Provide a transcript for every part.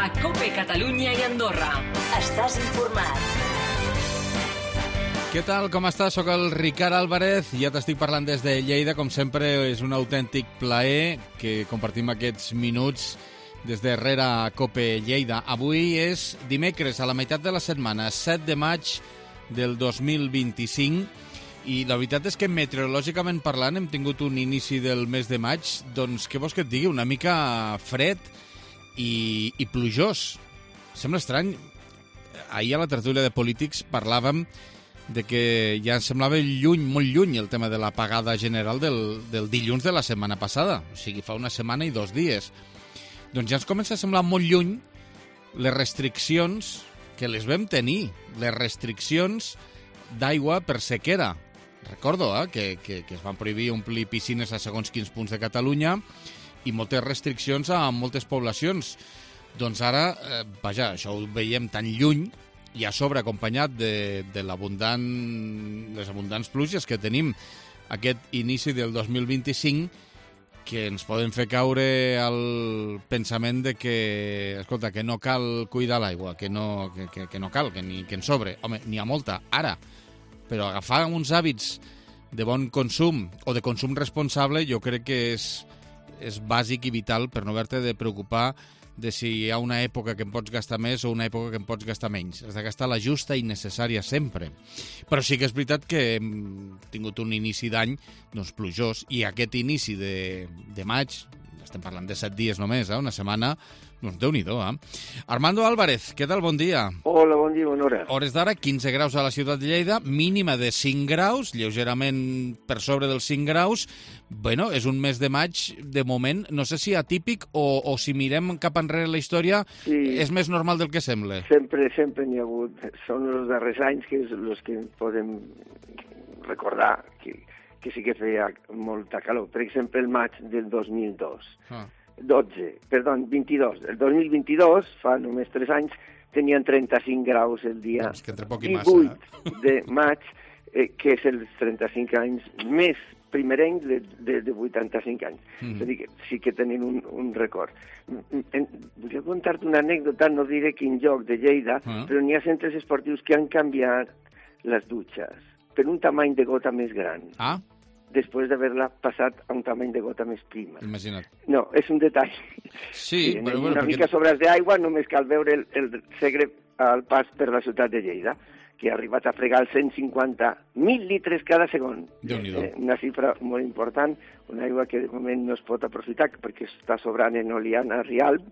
a COPE Catalunya i Andorra. Estàs informat. Què tal, com estàs? Soc el Ricard Álvarez, ja t'estic parlant des de Lleida. Com sempre, és un autèntic plaer que compartim aquests minuts des de darrere a COPE Lleida. Avui és dimecres, a la meitat de la setmana, 7 de maig del 2025, i la veritat és que meteorològicament parlant hem tingut un inici del mes de maig, doncs què vols que et digui, una mica fred i plujós. Sembla estrany. Ahir a la tertúlia de polítics parlàvem de que ja ens semblava lluny, molt lluny, el tema de l'apagada general del dilluns de la setmana passada. O sigui, fa una setmana i 2 dies. Doncs ja ens comença a semblar molt lluny les restriccions que les vam tenir, les restriccions d'aigua per sequera. Recordo que es van prohibir omplir piscines a segons quins punts de Catalunya i moltes restriccions a moltes poblacions. Doncs ara, vaja, això ho veiem tan lluny i a sobre acompanyat de les abundants pluges que tenim aquest inici del 2025, que ens poden fer caure al pensament de que, escolta, que no cal cuidar l'aigua, que no cal, que en sobre. Home, n'hi ha molta, ara. Però agafar uns hàbits de bon consum o de consum responsable jo crec que és bàsic i vital per no haver-te de preocupar de si hi ha una època que em pots gastar més o una època que em pots gastar menys. Has de gastar la justa i necessària sempre. Però sí que és veritat que hem tingut un inici d'any doncs, plujós, i aquest inici de maig, estem parlant de 7 dies només, una setmana, doncs Déu-n'hi-do. Armando Álvarez, què tal? Bon dia. Hola, bon dia, bona hora. Hores d'ara, 15 graus a la ciutat de Lleida, mínima de 5 graus, lleugerament per sobre dels 5 graus. Bueno, és un mes de maig, de moment, no sé si atípic o si mirem cap enrere la història, sí, és més normal del que sembla. Sempre n'hi ha hagut. Són els darrers anys que és els que podem recordar que sí que feia molta calor. Per exemple, el maig del 2002. 22. El 2022, fa només 3 anys, tenien 35 graus el dia 18 de maig, que és els 35 anys més primerencs de 85 anys. És a dir, que sí que tenen un record. Volia contar-te una anècdota, no diré quin lloc de Lleida, però n'hi ha centres esportius que han canviat les dutxes per un tamany de gota més gran. Després d'haver-la passat a un tamany de gota més prima. Imagina't. No, és un detall. Sí, però una mica sobres d'aigua, només cal veure el Segre al pas per la ciutat de Lleida, que ha arribat a fregar els 150.000 litres cada segon. Déu-n'hi-do. Una xifra molt important, una aigua que de moment no es pot aprofitar perquè està sobrant en Oliana, Rialb,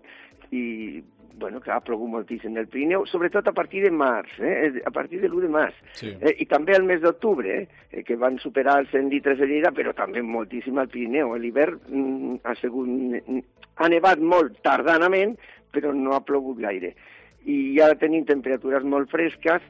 i bueno, que ha plogut moltíssim el Pirineu, sobretot a partir de març, a partir de l'1 de març. Sí. I també el mes d'octubre, que van superar els 100 litres a Lleida, però també moltíssim al Pirineu. L'hivern ha nevat molt tardanament, però no ha plogut gaire. I ja tenim temperatures molt fresques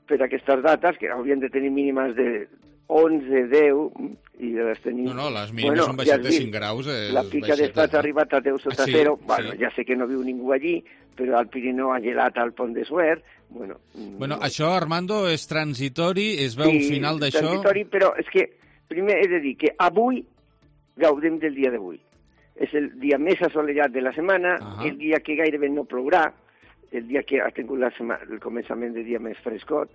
per aquestes dates, que haurien de tenir mínimes de 11, 10, i les tenim... No, les mínimes són baixet de 5 graus. La pica d'estats ha arribat a 10 sota 0. Bueno, ja sé que no viu ningú allí, però al Pirineu ha gelat al Pont de Suert. Bueno, això, Armando, és transitori, es veu un final d'això... Sí, transitori, però és que primer he de dir que avui gaudem del dia d'avui. És el dia més assolellat de la setmana, el dia que gairebé no plourà, el dia que ha tingut el començament de dia més frescot,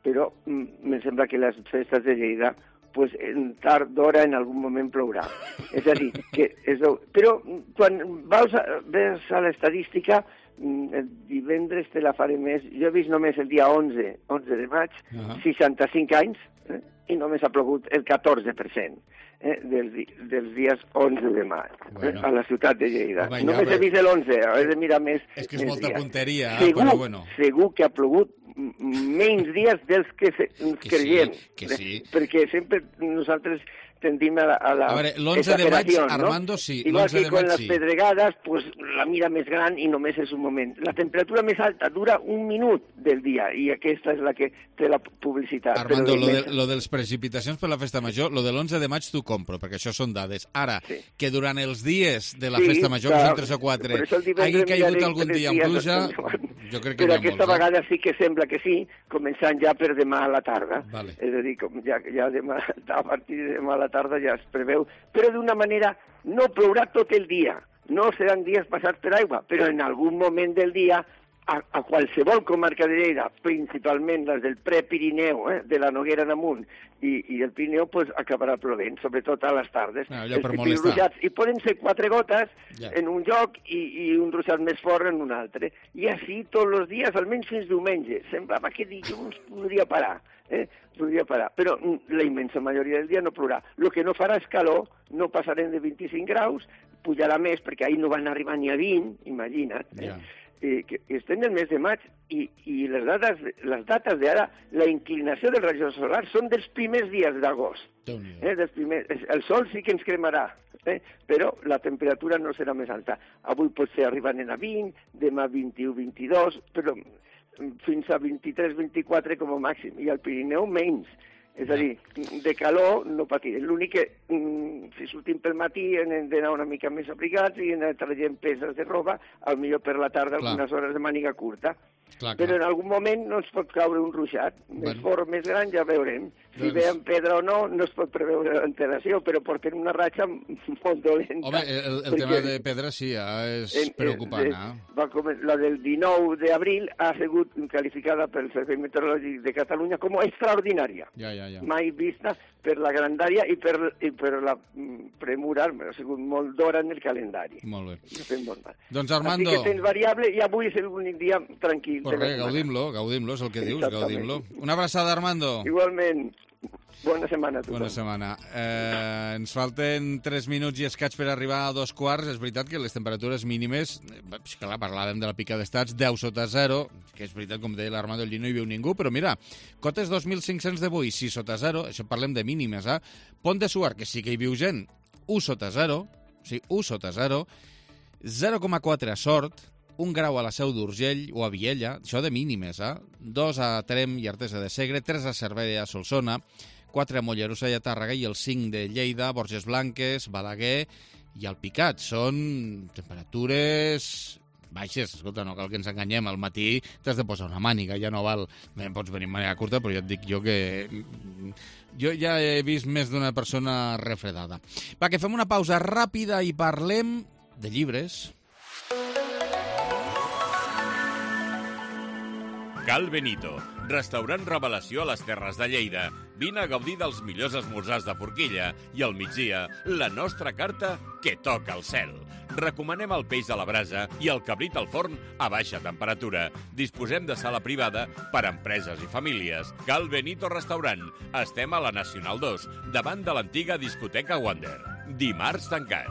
però em sembla que les festes de Lleida, pues, en tard d'hora en algun moment plourà. És a dir, que però quan veus a l'estadística, el divendres te la faré més. Jo he vist només el dia 11 de maig, 65 anys, i només ha plogut el 14%. Dels dies 11 de maig, a la ciutat de Lleida. Només he vist l'11, he de mirar més. És que és molta punteria, però bueno. Segur que ha plogut menys dies dels que creiem. Que sí. Perquè sempre nosaltres tendim a la A veure, l'11 de maig, Armando, sí. Igual que con les pedregades, pues la mira més gran i només és un moment. La temperatura més alta dura un minut del dia i aquesta és la que té la publicitat. Armando, lo de les precipitacions per la festa major, lo de l'11 de maig t'ho compro, perquè això són dades. Ara, que durant els dies de la festa major, que són 3 o 4, hagi caigut algun dia amb pluja, jo crec que n'hi ha molts. Però aquesta vegada sí que sembla que sí, començant ja per demà a la tarda. És a dir, ja demà, a partir de demà a la tarda ja es preveu, però d'una manera no plourà tot el dia. no seran dies passats per aigua, però en algun moment del dia a qualsevol comarca de Lleida, principalment les del Prepirineu, de la Noguera en amunt i el Pirineu, pues, acabarà plovent, sobretot a les tardes. Allò per molestar. I poden ser 4 gotes en un lloc i un ruixat més fort en un altre. I així tots els dies, almenys fins diumenge. Semblava que dilluns podria parar. Podria parar, però la immensa majoria del dia no plourà. El que no farà és calor, no passarem de 25 graus, pujarà més, perquè ahir no van arribar ni a 20, imagina't. Que estem en el mes de maig i les dates d'ara, la inclinació dels rajos solars són dels primers dies d'agost. El sol sí que ens cremarà, però la temperatura no serà més alta. Avui potser arriben a 20, demà 21, 22, però fins a 23-24 com a màxim, i al Pirineu menys. És a dir, de calor no patirem. L'únic que, si sortim pel matí, hem d'anar una mica més abrigats i anar traient peces de roba, potser per la tarda algunes hores de màniga curta. Però en algun moment no ens pot caure un ruixat. Més fort, més gran, ja veurem. Si veiem pedra o no, no es pot preveure l'alteració, però porten una ratxa molt dolenta. Home, el tema de pedra sí, és preocupant. La del 19 d'abril ha sigut qualificada pel Servei Meteorològic de Catalunya com a extraordinària. Mai vista per la grandària i per la premura, ha sigut molt d'hora en el calendari. Molt bé. Doncs Armando... Així que tens variable i avui és l'únic dia tranquil. Correcte, gaudim-lo, és el que dius, gaudim-lo. Una abraçada, Armando. Igualment. Bona setmana a tothom. Bona setmana. Ens falten 3 minuts i escaig per arribar a 2:15. És veritat que les temperatures mínimes, clar, parlàvem de la pica d'estats, 10 sota 0, que és veritat, com deia l'Armando, allí no hi viu ningú, però mira, cotes 2.500 d'avui, 6 sota 0, això parlem de mínimes, Pont de Suart, que sí que hi viu gent, 1 sota 0, sí, 1 sota 0, 0,4 a Sort, 1 grau a la Seu d'Urgell o a Viella, això de mínimes, 2 a Trem i Artesa de Segre, 3 a Cervera i a Solsona, 4 a Mollerussa i a Tàrrega i el 5 de Lleida, Borges Blanques, Balaguer i Alpicat. Són temperatures baixes. Escolta, no cal que ens enganyem. Al matí t'has de posar una màniga, ja no val... Bé, pots venir amb màniga curta, però ja et dic jo que... Jo ja he vist més d'una persona refredada. Va, que fem una pausa ràpida i parlem de llibres. Cal Benito, restaurant revelació a les Terres de Lleida. Vine a gaudir dels millors esmorzars de forquilla i al migdia, la nostra carta que toca el cel. Recomanem el peix a la brasa i el cabrit al forn a baixa temperatura. Disposem de sala privada per a empreses i famílies. Cal Benito Restaurant. Estem a la Nacional 2, davant de l'antiga discoteca Wander. Dimarts tancat.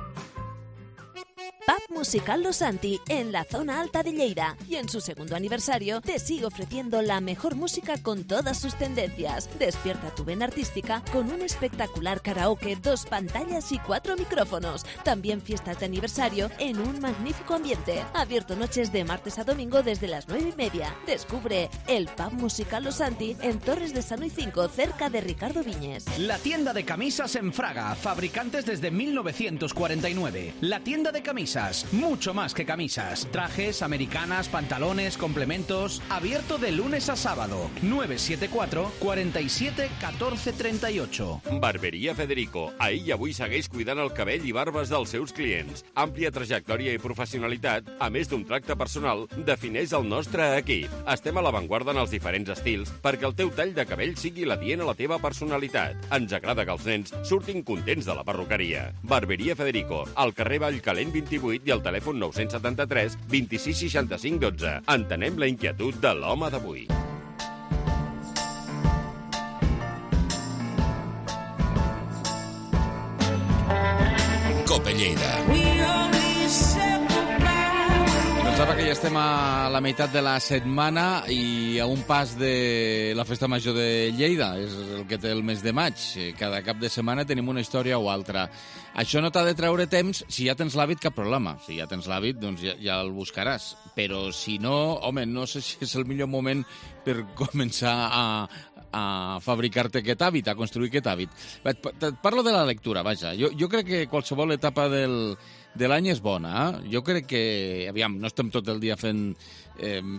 Pub Musical Los Santi, en la zona alta de Lleida. Y en su segundo aniversario te sigue ofreciendo la mejor música con todas sus tendencias. Despierta tu vena artística con un espectacular karaoke, 2 pantallas y 4 micrófonos. También fiestas de aniversario en un magnífico ambiente. Abierto noches de martes a domingo desde las 9:30. Descubre el Pub Musical Los Santi en Torres de Sanoy 5, cerca de Ricardo Viñes. La tienda de camisas en Fraga, fabricantes desde 1949. La tienda de camisas, mucho más que camisas. Trajes, americanas, pantalones, complementos. Abierto de lunes a sábado. 974 47 14 38. Barberia Federico. Ahir i avui segueix cuidant el cabell i barbes dels seus clients. Àmplia trajectòria i professionalitat, a més d'un tracte personal, defineix el nostre equip. Estem a l'avantguarda en els diferents estils perquè el teu tall de cabell sigui l'adient a la teva personalitat. Ens agrada que els nens surtin contents de la perruqueria. Barberia Federico, al carrer Vallcalent 28 i al telèfon 973 26 65 12. Entenem la inquietud de l'home d'avui. Cope Lleida. Pensava que ja estem a la meitat de la setmana i a un pas de la Festa Major de Lleida. És el que té el mes de maig. Cada cap de setmana tenim una història o altra. Això no t'ha de treure temps. Si ja tens l'hàbit, cap problema. Si ja tens l'hàbit, doncs ja el buscaràs. Però si no, home, no sé si és el millor moment per començar a fabricar-te aquest hàbit, a construir aquest hàbit. Et parlo de la lectura, vaja. Jo crec que qualsevol etapa de l'any és bona. Jo crec que, aviam, no estem tot el dia fent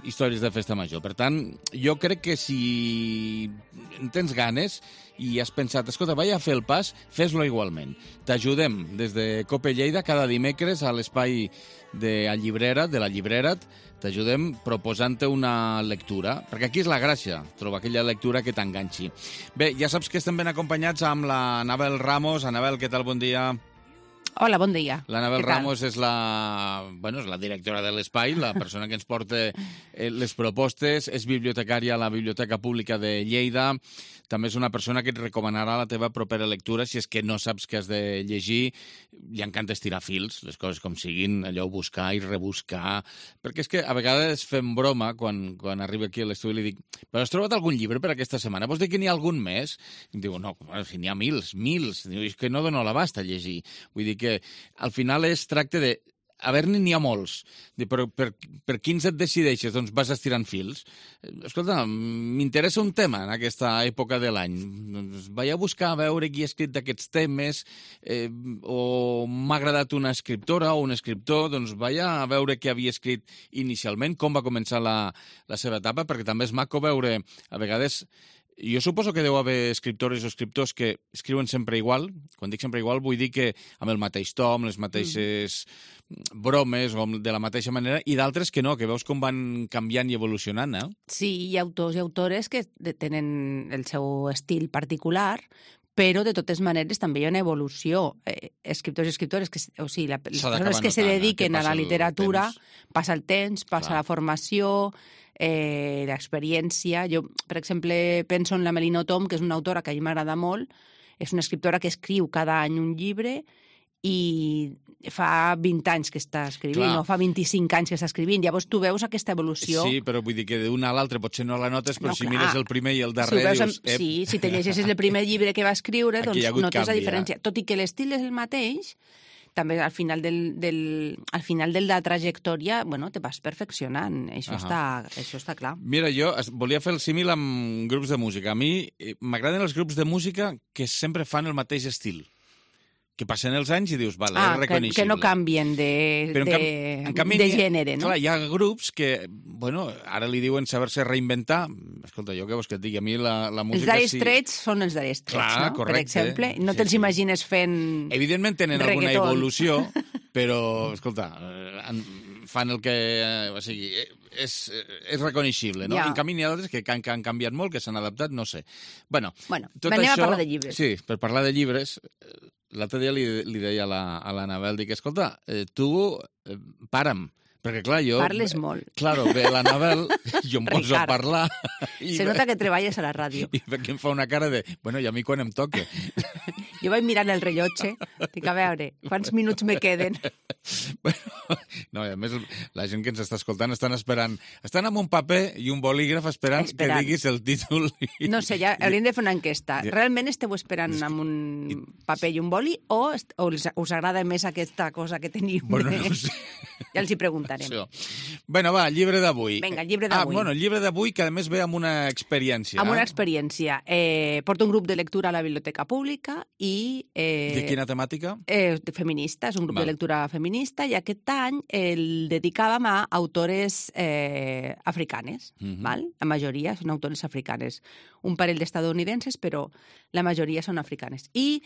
històries de festa major. Per tant, jo crec que si en tens ganes i has pensat, escolta, vaig a fer el pas, fes-lo igualment. T'ajudem des de Cope Lleida cada dimecres a l'espai de la Llibrera't, t'ajudem proposant-te una lectura, perquè aquí és la gràcia, trobar aquella lectura que t'enganxi. Bé, ja saps que estem ben acompanyats amb la Anabel Ramos. Anabel, què tal? Bon dia. Hola, bon dia. L'Anabel Ramos és la directora de l'espai, la persona que ens porta les propostes, és bibliotecària a la Biblioteca Pública de Lleida, també és una persona que et recomanarà la teva propera lectura si és que no saps què has de llegir. Li encanta estirar fils, les coses com siguin, allò buscar i rebuscar, perquè és que a vegades fem broma quan arriba aquí a l'estudi i li dic, però has trobat algun llibre per aquesta setmana? Vols dir que n'hi ha algun més? I em diu, no, si n'hi ha mils. Diu, és que no dono l'abast a llegir. Vull dir que al final es tracta de n'hi ha molts. Però per quins et decideixes? Doncs vas estirant fils. Escolta, m'interessa un tema en aquesta època de l'any. Doncs vaig a buscar a veure qui ha escrit d'aquests temes, o m'ha agradat una escriptora o un escriptor, doncs vaig a veure què havia escrit inicialment, com va començar la seva etapa, perquè també és maco veure, a vegades. Jo suposo que deu haver escriptores o escriptors que escriuen sempre igual. Quan dic sempre igual vull dir que amb el mateix to, amb les mateixes bromes o de la mateixa manera, i d'altres que no, que veus com van canviant i evolucionant, eh? Sí, hi ha autors i autores que tenen el seu estil particular, però de totes maneres també hi ha una evolució. Escriptors i escriptores, o sigui, les persones que se dediquen a la literatura, passa el temps, passa la formació, l'experiència. Jo, per exemple, penso en la Melina Tom, que és una autora que a mi m'agrada molt. És una escriptora que escriu cada any un llibre i fa 20 anys que està escrivint, no fa 25 anys que està escrivint. Llavors tu veus aquesta evolució. Sí, però vull dir que d'una a l'altra potser no la notes, però si mires el primer i el darrer dius... Sí, si te llegeixes el primer llibre que va escriure, doncs notes la diferència. Tot i que l'estil és el mateix, també al final de la trajectòria, bueno, te vas perfeccionant. Això està clar. Mira, jo volia fer el símil amb grups de música. A mi m'agraden els grups de música que sempre fan el mateix estil. Que passen els anys i dius, vale, és reconeixible. Que no canvien de gènere, no? Clar, hi ha grups que, bueno, ara li diuen saber-se reinventar. Escolta, jo què vols que et digui? A mi la música... Els Dire Straits són els Dire Straits, no? Correcte. Per exemple, no te'ls imagines fent evidentment tenen alguna evolució, però, escolta, fan el que... O sigui, és reconeixible, no? En canvi, n'hi ha d'altres que han canviat molt, que s'han adaptat, no sé. Bueno, anem a parlar de llibres. Sí, per parlar de llibres... L'altre dia li deia a l'Anabel, dic, escolta, tu para'm, perquè clar, jo... Parles molt. Claro, ve l'Anabel, jo em poso a parlar... Se nota que treballes a la ràdio. I perquè em fa una cara de, bueno, i a mi quan em toca? Jo vaig mirant el rellotge, dic, a veure, quants minuts me queden? No, i a més, la gent que ens està escoltant estan esperant, estan amb un paper i un bolígraf esperant que diguis el títol. No sé, ja hauríem de fer una enquesta. Realment esteu esperant amb un paper i un boli o us agrada més aquesta cosa que teniu? Bueno, no sé. Ja els hi preguntarem. Bueno, va, llibre d'avui. Vinga, el llibre d'avui. Bueno, el llibre d'avui que a més ve amb una experiència. Amb una experiència. Porto un grup de lectura a la Biblioteca Pública i... De quina temàtica? Feminista, és un grup de lectura feminista i aquest any el dedicàvem a autores africanes, val? La majoria són autores africanes. Un parell d'estadounidenses, però la majoria són africanes. I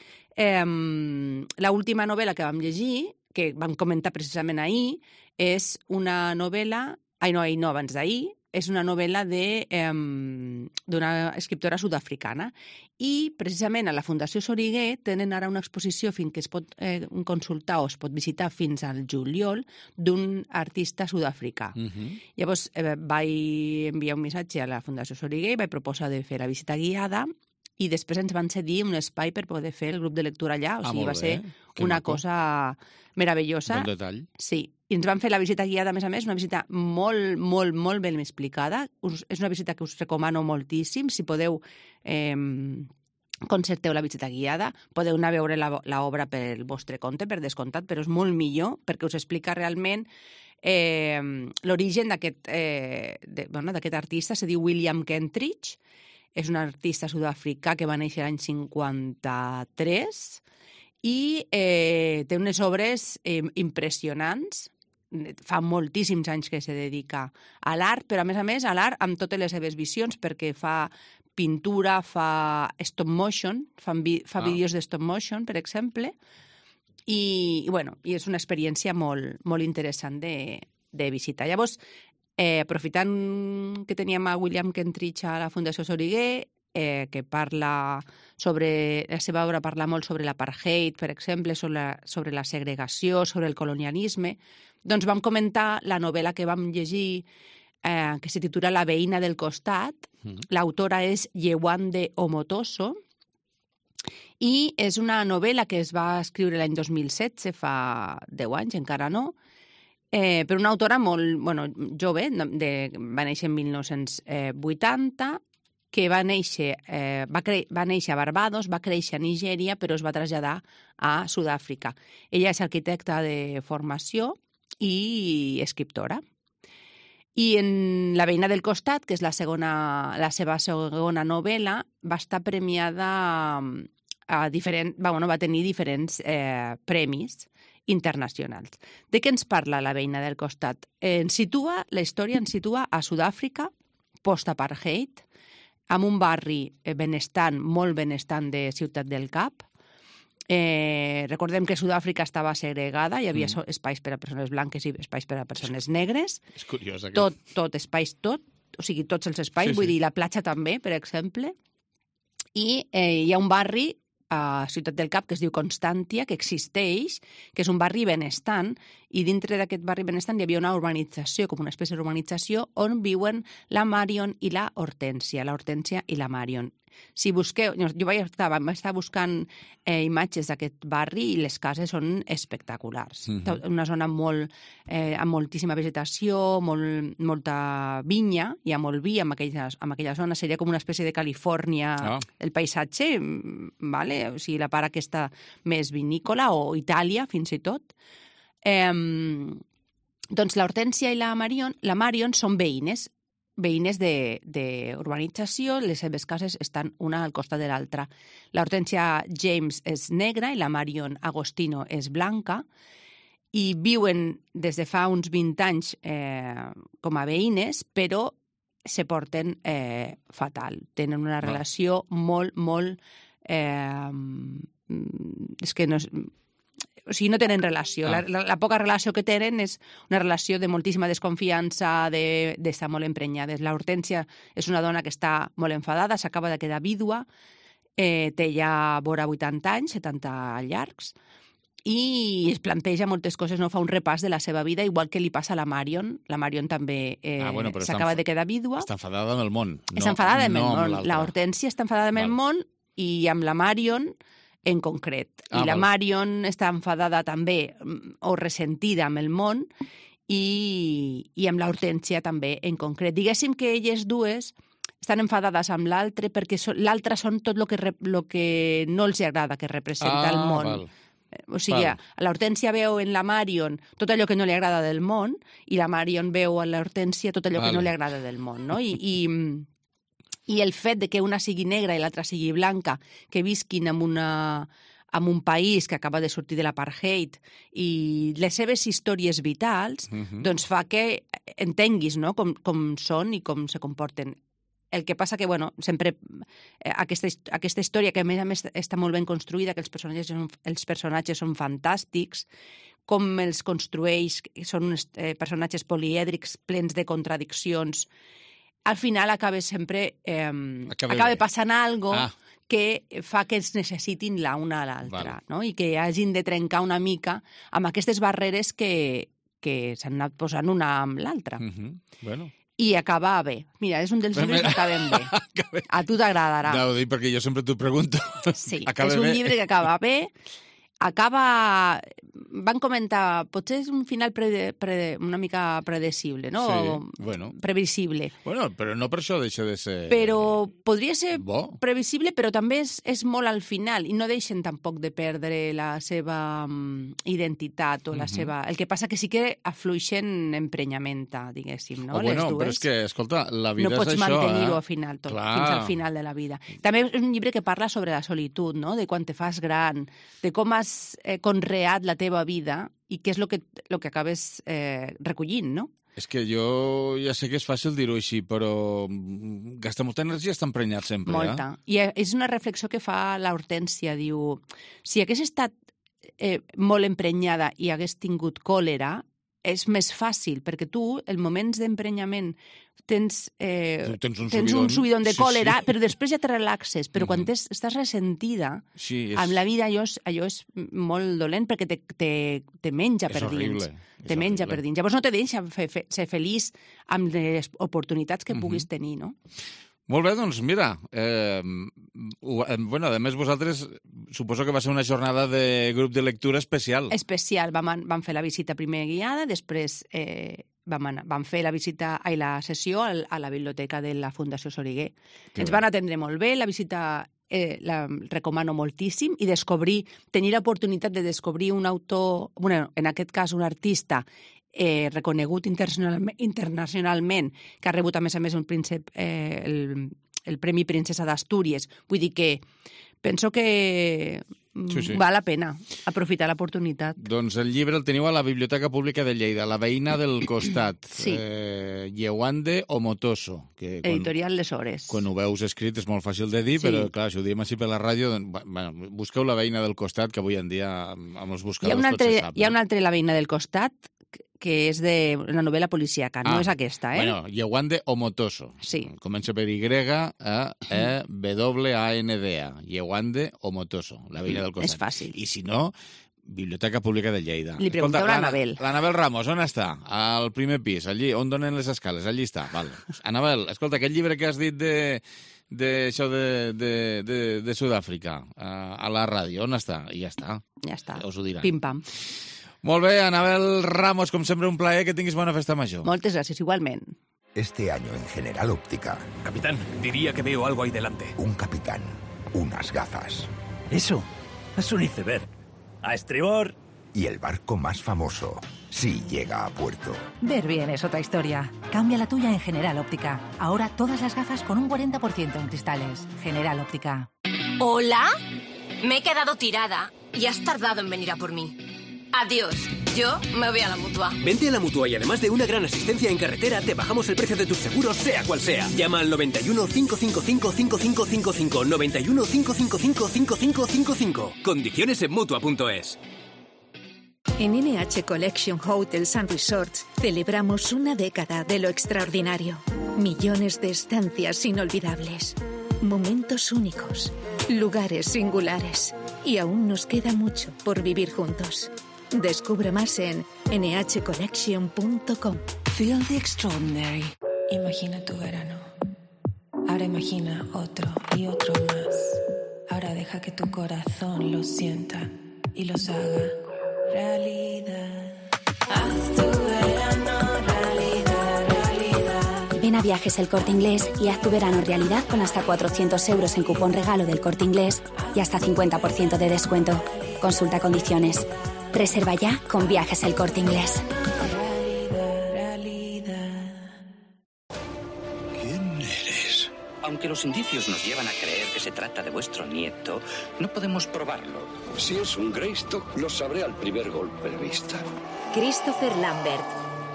l'última novel·la que vam llegir, que vam comentar precisament ahir, és una novel·la... abans d'ahir, és una novel·la d'una escriptora sud-africana. I, precisament, a la Fundació Soriguer tenen ara una exposició que es pot consultar o es pot visitar fins al juliol d'un artista sud-africà. Llavors, vaig enviar un missatge a la Fundació Soriguer i vaig proposar de fer la visita guiada i després ens van cedir un espai per poder fer el grup de lectura allà. O sigui, va ser una cosa meravellosa. Bon detall. Sí. I ens van fer la visita guiada, a més, una visita molt, molt, molt ben explicada. És una visita que us recomano moltíssim. Si podeu, concerteu la visita guiada. Podeu anar a veure l'obra pel vostre compte, per descomptat, però és molt millor perquè us explica realment l'origen d'aquest artista. Se diu William Kentridge. És un artista sud-africà que va néixer l'any 53 i té unes obres impressionants. Fa moltíssims anys que se dedica a l'art, però a més a l'art amb totes les seves visions, perquè fa pintura, fa stop motion, fa vídeos de stop motion, per exemple, i és una experiència molt interessant de visitar. Llavors, aprofitant que teníem a William Kentridge a la Fundació Soriguer, que parla sobre... La seva obra parla molt sobre l'apartheid, per exemple, sobre la segregació, sobre el colonialisme. Doncs vam comentar la novel·la que vam llegir, que se titula La veïna del costat. L'autora és Yewande Omotoso, i és una novel·la que es va escriure l'any 2016, fa 10 anys, encara no, per una autora molt jove, va néixer en 1980, que va néixer a Barbados, va créixer a Nigèria, però es va traslladar a Sud-àfrica. Ella és arquitecta de formació i escriptora. I en La veïna del costat, que és la seva segona novel·la, va estar premiada va tenir diferents premis internacionals. De què ens parla La veïna del costat? La història ens situa a Sud-àfrica, post-apartheid, amb un barri benestant, molt benestant de Ciutat del Cap. Recordem que Sud-àfrica estava segregada, hi havia espais per a persones blanques i espais per a persones negres. És curiós, O sigui, tots els espais, vull dir, la platja també, per exemple. I hi ha un barri a Ciutat del Cap que es diu Constància, que existeix, que és un barri benestant, i dintre d'aquest barri benestant hi havia una urbanització, com una espècie d'urbanització, on viuen la Marion i la Hortènsia, i la Marion. Si busqueu, jo vaig estar buscant imatges d'aquest barri i les cases són espectaculars. Una zona amb moltíssima vegetació, molta vinya, hi ha molt vi en aquella zona, seria com una espècie de Califòrnia, el paisatge, vale? O sigui, la part aquesta més vinícola, o Itàlia, fins i tot. Doncs l'Hortènsia i la Marion són veïnes d'urbanització, les seves cases estan una al costat de l'altra. L'Hortènsia James és negra i la Marion Agostino és blanca, i viuen des de fa uns 20 anys com a veïnes, però se porten fatal. Tenen una relació molt... és que no... O sigui, no tenen relació. La poca relació que tenen és una relació de moltíssima desconfiança, d'estar molt emprenyades. L'Hortènsia és una dona que està molt enfadada, s'acaba de quedar vídua, té ja vora 80 anys, 70 llargs, i es planteja moltes coses, no fa un repàs de la seva vida, igual que li passa a la Marion. La Marion també s'acaba de quedar vídua. Està enfadada amb el món. Està enfadada amb el món. L'Hortènsia està enfadada amb el món, i amb la Marion en concret. I la Marion està enfadada també, o ressentida amb el món, i amb l'Hortènsia també en concret. Diguéssim que elles dues estan enfadades amb l'altre perquè l'altre són tot el que no els agrada que representa el món. O sigui, l'Hortènsia veu en la Marion tot allò que no li agrada del món, i la Marion veu en l'Hortènsia tot allò que no li agrada del món, no? I el fet de que una sigui negra i l'altra sigui blanca, que visquin en un país que acaba de sortir de l'apartheid, i les seves històries vitals, doncs fa que entenguis, no?, com són i com se comporten. El que passa que, sempre aquesta història, que a més està molt ben construïda, que els personatges són fantàstics, com els construeix, són uns personatges polièdrics, plens de contradiccions. Al final acaba passant alguna cosa que fa que es necessitin l'una a l'altra, no? I que hagin de trencar una mica amb aquestes barreres que s'han anat posant una amb l'altra. I acaba bé. Mira, és un dels llibres que acaben bé. A tu t'agradarà. No, ho dic perquè jo sempre t'ho pregunto. Sí, és un llibre que acaba bé. Van comentar, potser és un final una mica predecible, no? Sí, previsible. Però no per això deixa de ser... Però podria ser previsible, però també és molt al final, i no deixen tampoc de perdre la seva identitat o la seva... El que passa que sí que afluixen emprenyamenta, diguéssim, no? Les dues. Però és que, escolta, la vida és això... No pots mantenir-ho al final, tot, fins al final de la vida. També és un llibre que parla sobre la solitud, no? De quan te fas gran, de com has has conreat la teva vida i què és el que acabes recollint, no? És que jo ja sé que és fàcil dir-ho així, però gasta molta energia, està emprenyat sempre. Molta. I és una reflexió que fa l'Hortènsia, diu, si hagués estat molt emprenyada i hagués tingut còlera, és més fàcil, perquè tu, en moments d'emprenyament, tens un subidon de còlera, però després ja te relaxes. Però quan estàs ressentida, amb la vida allò és molt dolent perquè te menja per dins. Te menja per dins. Llavors no te deixa ser feliç amb les oportunitats que puguis tenir, no? Molt bé, doncs mira, a més vosaltres suposo que va ser una jornada de grup de lectura especial. Especial, vam fer la visita primer guiada, després vam fer la sessió a la biblioteca de la Fundació Soriguer. Ens van atendre molt bé, la visita la recomano moltíssim i tenir l'oportunitat de descobrir un autor, en aquest cas un artista, reconegut internacionalment, que ha rebut a més el Premi Princesa d'Astúries. Vull dir que penso que val la pena aprofitar l'oportunitat. Doncs el llibre el teniu a la Biblioteca Pública de Lleida, La veïna del costat, Yewande Omotoso. Editorial Les Hores. Quan ho veus escrit és molt fàcil de dir, però clar, si ho diem així per la ràdio, busqueu La veïna del costat, que avui en dia amb els buscadors tot se sap. Hi ha un altre La veïna del costat, que és d'una novel·la policíaca, no és aquesta, eh? Bueno, Yewande Omotoso. Sí. Comença per Y-E-W-A-N-D-A. Yewande Omotoso, La veïna del costat. És fàcil. I si no, Biblioteca Pública de Lleida. Li pregunteu a l'Anabel. L'Anabel Ramos, on està? Al primer pis, allí, on donen les escales, allí està. Val. Anabel, escolta, aquest llibre que has dit d'això de Sud-àfrica, a la ràdio, on està? I ja està. Ja està. Us ho diran. Pim-pam. Molt bé, Anabel Ramos, com sempre un plaer, que tinguis bona festa major. Moltes gràcies, igualment. Este año en General Óptica. Capitán, diría que veo algo ahí delante. Un capitán, unas gafas. Eso, es un iceberg. A estribor. Y el barco más famoso, si llega a puerto. Ver bien es otra historia. Cambia la tuya en General Óptica. Ahora todas las gafas con un 40% en cristales. General Óptica. ¿Hola? Me he quedado tirada y has tardado en venir a por mí. Adiós. Yo me voy a la Mutua. Vente a la Mutua y además de una gran asistencia en carretera, te bajamos el precio de tus seguros, sea cual sea. Llama al 91 555 5555. 91 555 5555. Condiciones en Mutua.es. En NH Collection Hotels and Resorts celebramos una década de lo extraordinario. Millones de estancias inolvidables. Momentos únicos. Lugares singulares. Y aún nos queda mucho por vivir juntos. Descubre más en nhcollection.com. Feel the extraordinary. Imagina tu verano. Ahora imagina otro y otro más. Ahora deja que tu corazón lo sienta y los haga realidad. Haz tu verano realidad, realidad. Ven a Viajes El Corte Inglés y haz tu verano realidad con hasta 400 euros en cupón regalo del Corte Inglés y hasta 50% de descuento. Consulta condiciones. Reserva ya con Viajes El Corte Inglés. ¿Quién eres? Aunque los indicios nos llevan a creer que se trata de vuestro nieto, no podemos probarlo. Si es un Greystock, lo sabré al primer golpe de vista. Christopher Lambert.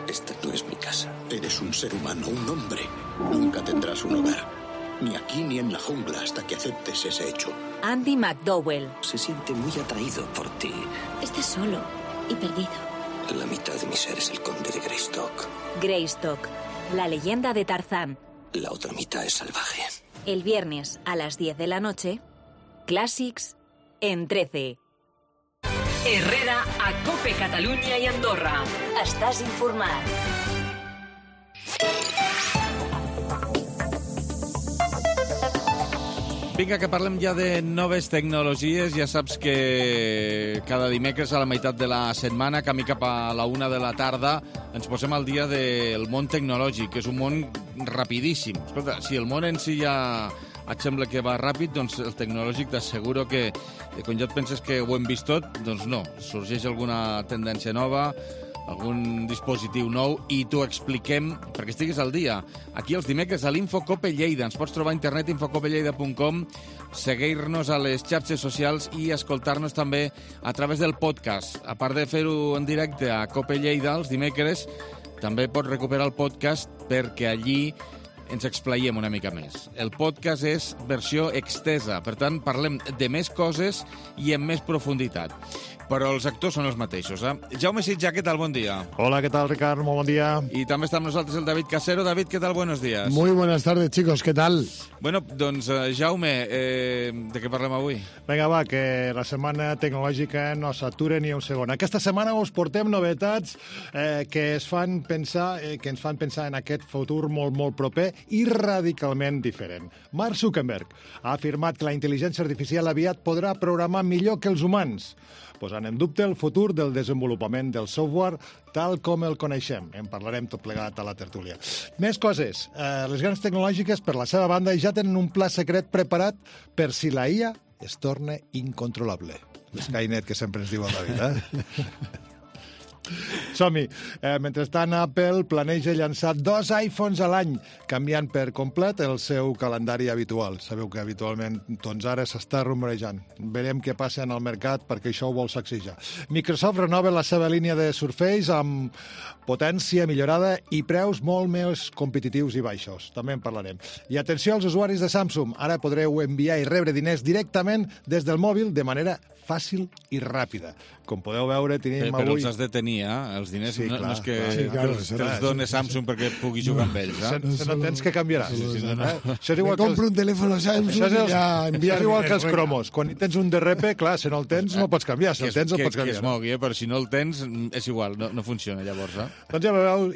Esta no es mi casa. Eres un ser humano, un hombre. Nunca tendrás un hogar. Ni aquí ni en la jungla hasta que aceptes ese hecho. Andy McDowell. Se siente muy atraído por ti. Estás solo y perdido. La mitad de mi ser es el conde de Greystock. Greystock, la leyenda de Tarzán. La otra mitad es salvaje. El viernes a las 10 de la noche, Clàssics en 13. Herrera a COPE Catalunya i Andorra. Estàs informat. Vinga, que parlem ja de noves tecnologies. Ja saps que cada dimecres a la meitat de la setmana, camí cap a la 1 de la tarda, ens posem al dia del món tecnològic, que és un món rapidíssim. Escolta, si el món en si ja et sembla que va ràpid, doncs el tecnològic t'asseguro que quan ja et penses que ho hem vist tot, doncs no. Sorgeix alguna tendència nova, algun dispositiu nou i t'ho expliquem perquè estiguis al dia. Aquí els dimecres a l'Infocope Lleida. Ens pots trobar a internet infocopelleida.com, seguir-nos a les xarxes socials i escoltar-nos també a través del podcast. A part de fer-ho en directe a Cope Lleida els dimecres, també pots recuperar el podcast perquè allí ens explaiem una mica més. El podcast és versió extesa, per tant, parlem de més coses i en més profunditat. Però els actors són els mateixos, eh? Jaume Sitja, què tal? Bon dia. Hola, ¿qué tal, Ricard? Muy buen día. Y también está con nosotros el David Casero. David, ¿qué tal? Buenos días. Muy buenas tardes, chicos. ¿Qué tal? Bueno, doncs, Jaume, de què parlem avui? Vinga, va, que la setmana tecnològica no s'atura ni un segon. Aquesta setmana us portem novetats que ens fan pensar en aquest futur molt, molt proper i radicalment diferent. Mark Zuckerberg ha afirmat que la intel·ligència artificial aviat podrà programar millor que els humans, posant en dubte el futur del desenvolupament del software tal com el coneixem. En parlarem tot plegat a la tertúlia. Més coses. Les grans tecnològiques, per la seva banda, ja tenen un pla secret preparat per si la IA es torna incontrolable. Skynet, que sempre ens diu el David, eh? Som-hi. Mentrestant, Apple planeja llançar 2 iPhones a l'any, canviant per complet el seu calendari habitual. Sabeu que habitualment, doncs ara s'està rumorejant. Verem què passa en el mercat perquè això ho vol sacsejar. Microsoft renova la seva línia de Surface amb potència millorada i preus molt més competitius i baixos. També en parlarem. I atenció als usuaris de Samsung. Ara podreu enviar i rebre diners directament des del mòbil de manera fàcil i ràpida. Com podeu veure, tenim avui... Però els has de tenir, els diners. Sí, no, clar, no és que te'ls dones Samsung perquè puguis jugar amb ells. Se no tens que canviaràs. Això és igual que compro un telèfon a Samsung i ja enviar... És igual que els cromos. Quan tens un DRP, clar, si no el tens no pots canviar. Si el tens, el pots canviar. Que es mogui, però si no el tens, és igual, no funciona llavors. Doncs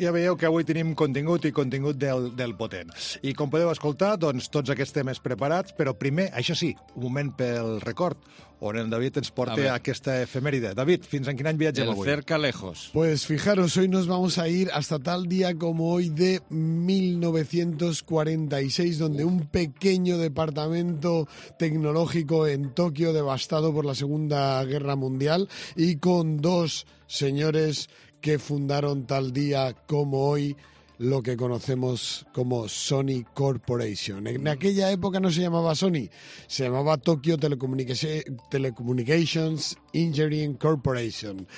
ja veieu que avui tenim contingut i contingut del potent. I com podeu escoltar, doncs tots aquests temes preparats, però primer, això sí, un moment pel record, on el David ens porta a aquesta efemèride. David, fins en quin any viatgem avui? El cerca lejos. Pues fijaros, hoy nos vamos a ir hasta tal día como hoy de 1946, donde un pequeño departamento tecnológico en Tokio, devastado por la Segunda Guerra Mundial, y con 2 señores que fundaron tal día como hoy lo que conocemos como Sony Corporation. En aquella época no se llamaba Sony, se llamaba Tokyo Telecommunications Engineering Corporation.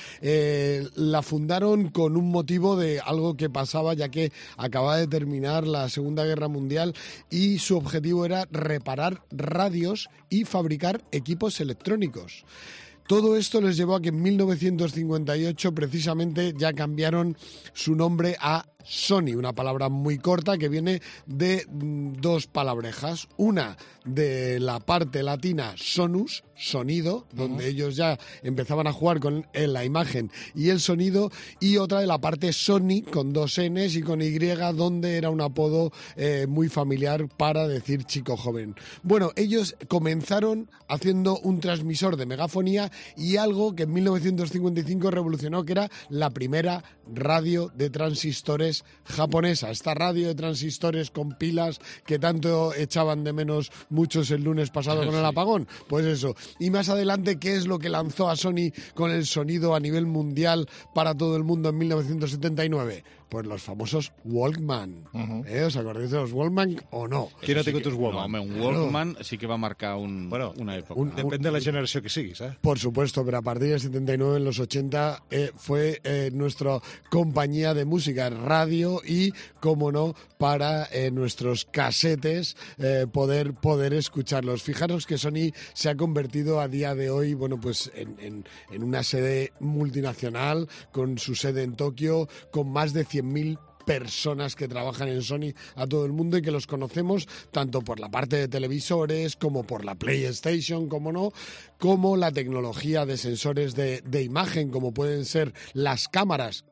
La fundaron con un motivo de algo que pasaba, ya que acababa de terminar la Segunda Guerra Mundial y su objetivo era reparar radios y fabricar equipos electrónicos. Todo esto les llevó a que en 1958 precisamente ya cambiaron su nombre a Sony, una palabra muy corta que viene de 2 palabrejas. Una de la parte latina sonus, sonido, donde ellos ya empezaban a jugar con la imagen y el sonido, y otra de la parte Sony, con 2 Ns y con Y, donde era un apodo muy familiar para decir chico joven. Bueno, ellos comenzaron haciendo un transmisor de megafonía y algo que en 1955 revolucionó, que era la primera radio de transistores japonesa. Esta radio de transistores con pilas que tanto echaban de menos muchos el lunes pasado con el apagón. Pues eso. Y más adelante, ¿qué es lo que lanzó a Sony con el sonido a nivel mundial para todo el mundo en 1979? Pues los famosos Walkman. ¿Os acordáis de los Walkman o no? ¿Quién no té tus Walkman? No, home, un Walkman sí que va marcar una època. Depende de la generació que siguis, eh? Por supuesto, pero a partir del 79, en los 80, fue nuestra compañía de música, radio y, como no, para nuestros casetes poder escucharlos. Fijaros que Sony se ha convertido a día de hoy, bueno, pues en una sede multinacional, con su sede en Tokio, con más de 100.000 personas que trabajan en Sony a todo el mundo y que los conocemos tanto por la parte de televisores como por la PlayStation, como no, como la tecnología de sensores de imagen, como pueden ser las cámaras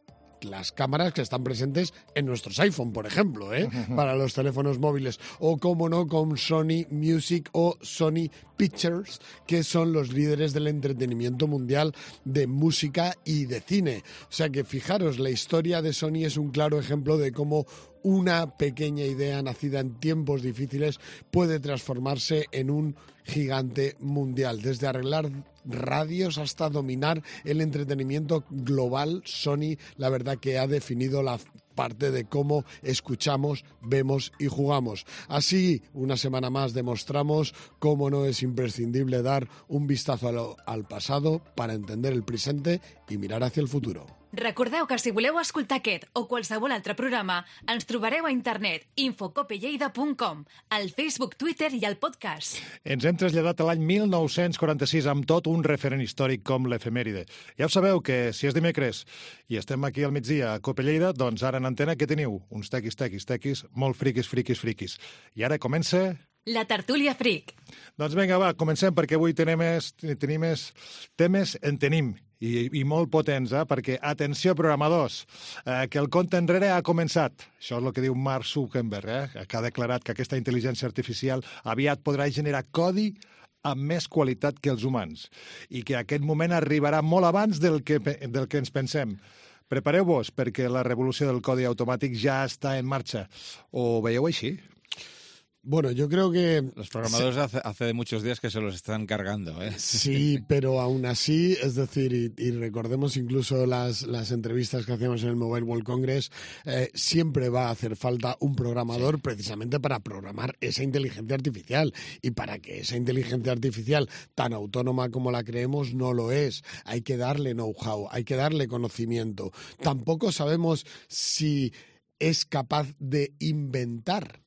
que están presentes en nuestros iPhone, por ejemplo, para los teléfonos móviles, o como no, con Sony Music o Sony Pictures, que son los líderes del entretenimiento mundial de música y de cine. O sea que fijaros, la historia de Sony es un claro ejemplo de cómo una pequeña idea nacida en tiempos difíciles puede transformarse en un gigante mundial, desde arreglar radios hasta dominar el entretenimiento global, Sony, la verdad que ha definido la parte de cómo escuchamos, vemos y jugamos. Así, una semana más demostramos cómo no es imprescindible dar un vistazo al pasado para entender el presente i mirar hacia el futuro. Recordeu que si voleu escoltar aquest o qualsevol altre programa, ens trobareu a internet infocopelleida.com, al Facebook, Twitter i al podcast. Ens hem traslladat a l'any 1946 amb tot un referent històric com l'efemèride. Ja ho sabeu que si és dimecres i estem aquí al migdia a Cope Lleida, doncs ara en antena què teniu? Uns tequis, molt friquis. I ara comença... La tertúlia fric. Doncs vinga, va, comencem, perquè avui tenim temes en tenim. I molt potents, perquè, atenció, programadors, que el compte enrere ha començat. Això és el que diu Mark Zuckerberg, que ha declarat que aquesta intel·ligència artificial aviat podrà generar codi amb més qualitat que els humans i que aquest moment arribarà molt abans del que ens pensem. Prepareu-vos, perquè la revolució del codi automàtic ja està en marxa. Ho veieu així? Bueno, yo creo que... Los programadores hace muchos días que se los están cargando, ¿eh? Sí, pero aún así, es decir, y recordemos incluso las entrevistas que hacemos en el Mobile World Congress, siempre va a hacer falta un programador precisamente para programar esa inteligencia artificial. Y para que esa inteligencia artificial, tan autónoma como la creemos, no lo es. Hay que darle know-how, hay que darle conocimiento. Tampoco sabemos si es capaz de inventar.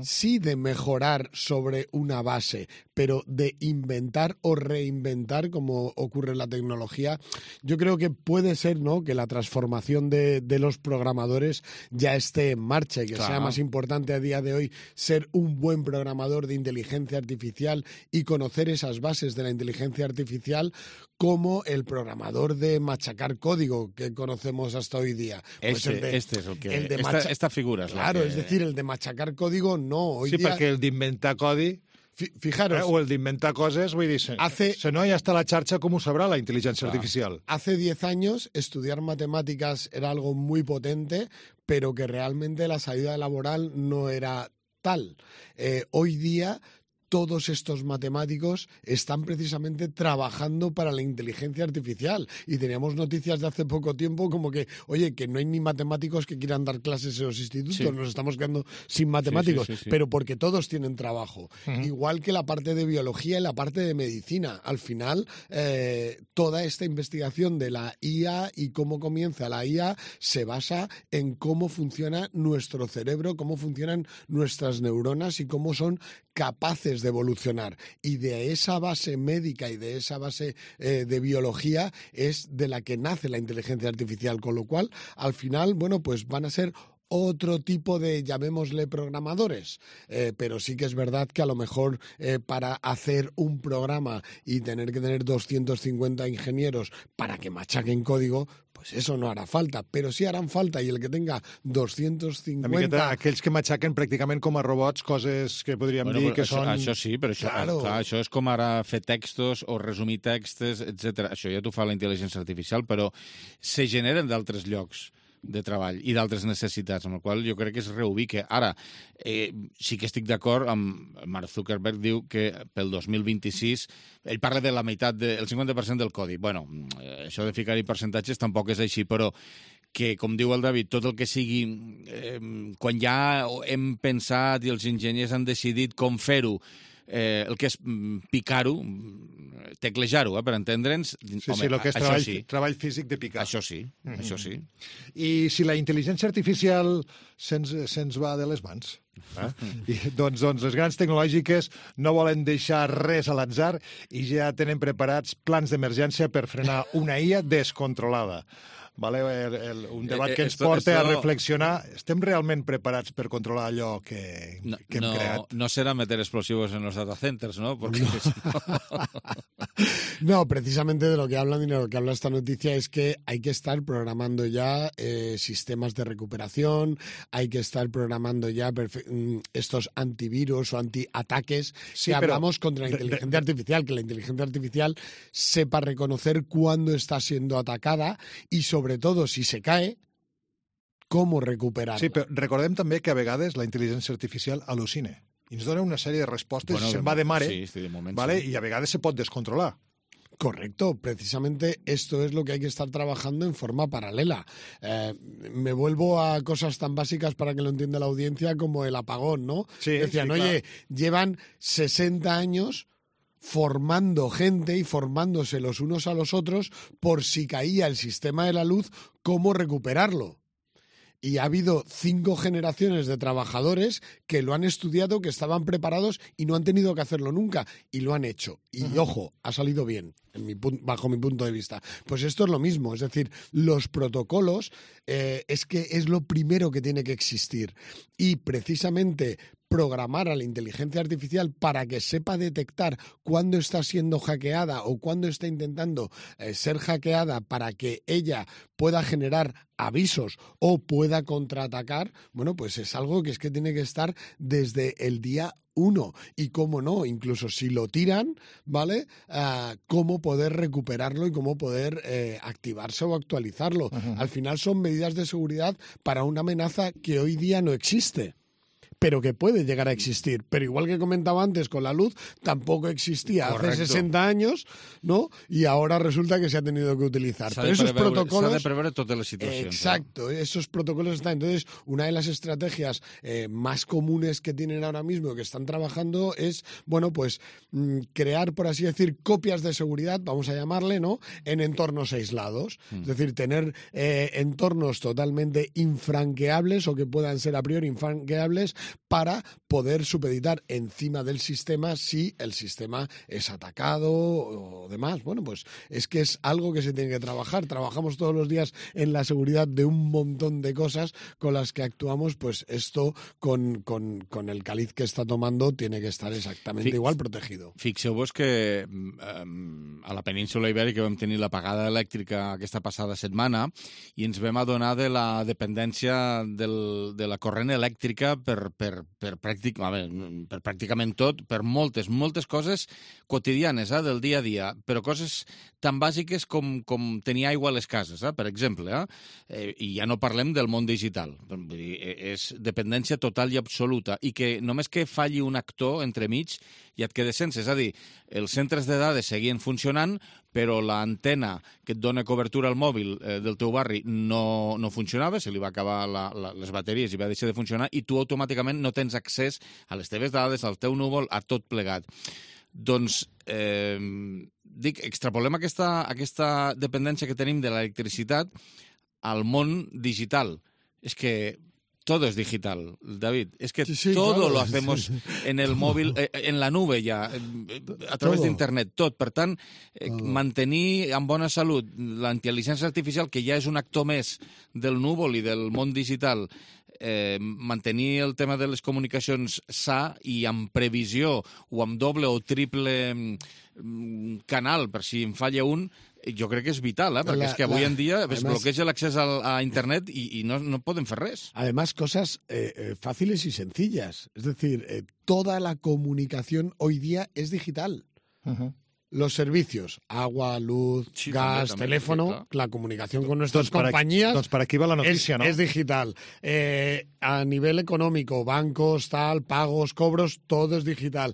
Sí, de mejorar sobre una base, pero de inventar o reinventar, como ocurre en la tecnología, yo creo que puede ser, ¿no?, que la transformación de los programadores ya esté en marcha y que sea más importante a día de hoy ser un buen programador de inteligencia artificial y conocer esas bases de la inteligencia artificial como el programador de machacar código que conocemos hasta hoy día. Pues este es el que... esta figura es claro, la que... es decir, el de machacar código no. Hoy sí, día... perquè el d'inventar codi... Fijaros... o el d'inventar coses, vull dir, si no ja està la xarxa, com ho sabrà la intel·ligència artificial? Hace 10 años estudiar matemáticas era algo muy potente, pero que realmente la salida laboral no era tal. Hoy día... todos estos matemáticos están precisamente trabajando para la inteligencia artificial. Y teníamos noticias de hace poco tiempo como que, oye, que no hay ni matemáticos que quieran dar clases en los institutos, sí. Nos estamos quedando sin matemáticos, sí. Pero porque todos tienen trabajo. Igual que la parte de biología y la parte de medicina. Al final, toda esta investigación de la IA y cómo comienza la IA se basa en cómo funciona nuestro cerebro, cómo funcionan nuestras neuronas y cómo son capaces de evolucionar. Y de esa base médica y de esa base de biología es de la que nace la inteligencia artificial, con lo cual, al final, bueno, pues van a ser otro tipo de, llamémosle, programadores. Pero sí que es verdad que a lo mejor para hacer un programa y tener que tener 250 ingenieros para que machaquen código, pues eso no harà falta, però sí haran falta, i el que tenga 250... Una miqueta, aquells que matxaquen pràcticament com a robots, coses que podríem dir que són... Això sí, però això és com ara fer textos o resumir textos, etc. Això ja t'ho fa la intel·ligència artificial, però se generen d'altres llocs de treball i d'altres necessitats, amb la qual jo crec que es reubica. Ara, sí que estic d'acord amb Mark Zuckerberg, diu que pel 2026 ell parla de la meitat, el 50% del codi. Bueno, això de ficar-hi percentatges tampoc és així, però que, com diu el David, tot el que sigui, quan ja hem pensat i els enginyers han decidit com fer-ho, el que és picar-ho, teclejar-ho, per entendre'ns... Sí, el que és treball físic de picar. Això sí, això sí. I si la intel·ligència artificial se'ns va de les mans? Doncs les grans tecnològiques no volen deixar res a l'atzar i ja tenen preparats plans d'emergència per frenar una IA descontrolada. Vale, un debat que ens porta a reflexionar. Estem realment preparats per controlar allò que hem creat? No será meter explosivos en los data centers, ¿no? Porque no, precisamente de lo que hablan y de lo que habla esta noticia es que hay que estar programando ya sistemas de recuperación, hay que estar programando ya estos antivirus o antiataques que hablamos contra la inteligencia artificial, que la inteligencia artificial sepa reconocer cuándo está siendo atacada y sobre todo si se cae, cómo recuperarla. Sí, però recordem també que a vegades la intel·ligència artificial al·lucina i ens dona una sèrie de respostes i se'n va de mare, sí, de moment, vale? I a vegades se pot descontrolar. Correcto, precisamente esto es lo que hay que estar trabajando en forma paralela. Me vuelvo a cosas tan básicas para que lo entienda la audiencia como el apagón, ¿no? Sí, decían, sí, oye, llevan 60 años formando gente y formándose los unos a los otros por si caía el sistema de la luz, cómo recuperarlo. Y ha habido 5 generaciones de trabajadores que lo han estudiado, que estaban preparados y no han tenido que hacerlo nunca. Y lo han hecho. Y, ojo, ha salido bien, bajo mi punto de vista. Pues esto es lo mismo. Es decir, los protocolos es que es lo primero que tiene que existir. Y precisamente programar a la inteligencia artificial para que sepa detectar cuándo está siendo hackeada o cuándo está intentando ser hackeada para que ella pueda generar avisos o pueda contraatacar, bueno, pues es algo que tiene que estar desde el día 1. Y cómo no, incluso si lo tiran, ¿vale? Cómo poder recuperarlo y cómo poder activarse o actualizarlo. Al final son medidas de seguridad para una amenaza que hoy día no existe, pero que puede llegar a existir. Pero igual que comentaba antes con la luz, tampoco existía hace 60 años, ¿no? Y ahora resulta que se ha tenido que utilizar. Pero esos protocolos... S'ha de preveure totes les situacions. Exacto, esos protocolos están. Entonces, una de las estrategias más comunes que tienen ahora mismo, que están trabajando, es, bueno, pues crear, por así decir, copias de seguridad, vamos a llamarle, ¿no?, en entornos aislados. Es decir, tener entornos totalmente infranqueables o que puedan ser a priori infranqueables para poder supeditar encima del sistema si el sistema es atacado o demás. Bueno, pues es que es algo que se tiene que trabajar. Trabajamos todos los días en la seguridad de un montón de cosas con las que actuamos, pues esto con el caliz que está tomando tiene que estar exactamente igual protegido. Fixeu-vos que a la península Ibèrica vam tenir l'apagada elèctrica aquesta passada setmana i ens vam adonar de la dependència de la corrent elèctrica per pràcticament tot, per moltes coses quotidianes del dia a dia, però coses tan bàsiques com tenir aigua a les cases, per exemple, i ja no parlem del món digital. És dependència total i absoluta, i que només que falli un actor entremig ja et quedes sense. És a dir, els centres de dades seguien funcionant, però l'antena que et dona cobertura al mòbil del teu barri no funcionava, se li va acabar les bateries i va deixar de funcionar, i tu automàticament no tens accés a les teves dades, al teu núvol, a tot plegat. Doncs, extrapolem aquesta dependència que tenim de l'electricitat al món digital. És que todo es digital, David. Es que todo claro, lo hacemos en el móvil, en la nube ya, a través d'internet, tot. Per tant, mantenir en bona salut la intel·ligència artificial, que ja és un actor més del núvol i del món digital, mantenir el tema de les comunicacions sa i amb previsió o amb doble o triple canal, per si en falla un, jo crec que és vital, perquè és que avui en dia es bloqueja l'accés a internet y no podem fer res. Además, cosas fáciles y sencillas. Es decir, toda la comunicación hoy día es digital. Los servicios, agua, luz, gas, teléfono, la comunicación con nuestras compañías para aquí va la noticia, ¿no? Es digital. A nivel económico, bancos, pagos, cobros, todo es digital.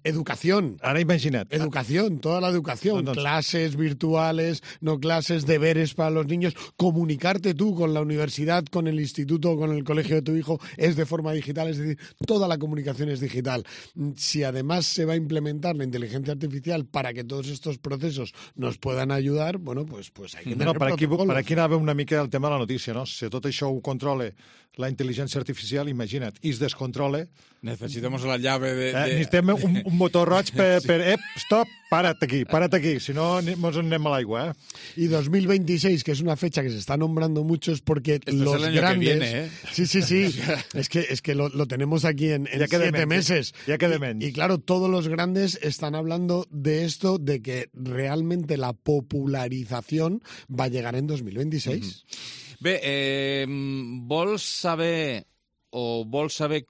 Educación. Ara imagina't. Educación, toda la educación. Clases virtuales, no clases, deberes para los niños. Comunicarte tú con la universidad, con el instituto, con el colegio de tu hijo, es de forma digital. Es decir, toda la comunicación es digital. Si además se va a implementar la inteligencia artificial para que todos estos procesos nos puedan ayudar, bueno, pues hay que tener protocolos. Per aquí anava una mica el tema de la notícia, no? Si tot això ho controla la intel·ligència artificial, imagina't, i es descontrola... Necessitamos la llave de... Necessitem un motor roig per stop, para't aquí, si no ens anem a l'aigua, Y 2026, que es una fecha que se está nombrando mucho, es porque los grandes... Viene, Sí. es que lo tenemos aquí en 7 meses. Ya queda menys. Y claro, todos los grandes están hablando de esto, de que realmente la popularización va a llegar en 2026. Bé, vols saber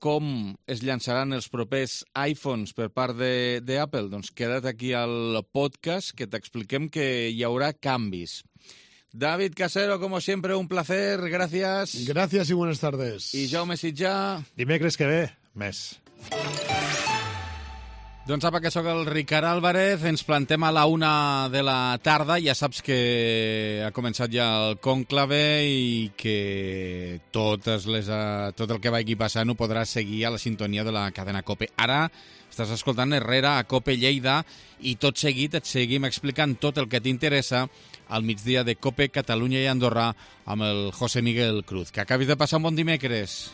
com es llançaran els propers iPhones per part d'Apple? Doncs queda't aquí al podcast que t'expliquem que hi haurà canvis. David Casero, como siempre, un placer. Gracias. Gracias y buenas tardes. I Jaume Sitjà. Dimecres que ve, més. Doncs apa, que sóc el Ricard Álvarez, ens plantem a la 1 de la tarda, ja saps que ha començat ja el conclave i que tot el que vagi passant ho podràs seguir a la sintonia de la cadena COPE. Ara estàs escoltant Herrera a COPE Lleida i tot seguit et seguim explicant tot el que t'interessa al migdia de COPE Catalunya i Andorra amb el José Miguel Cruz. Que acabis de passar un bon dimecres.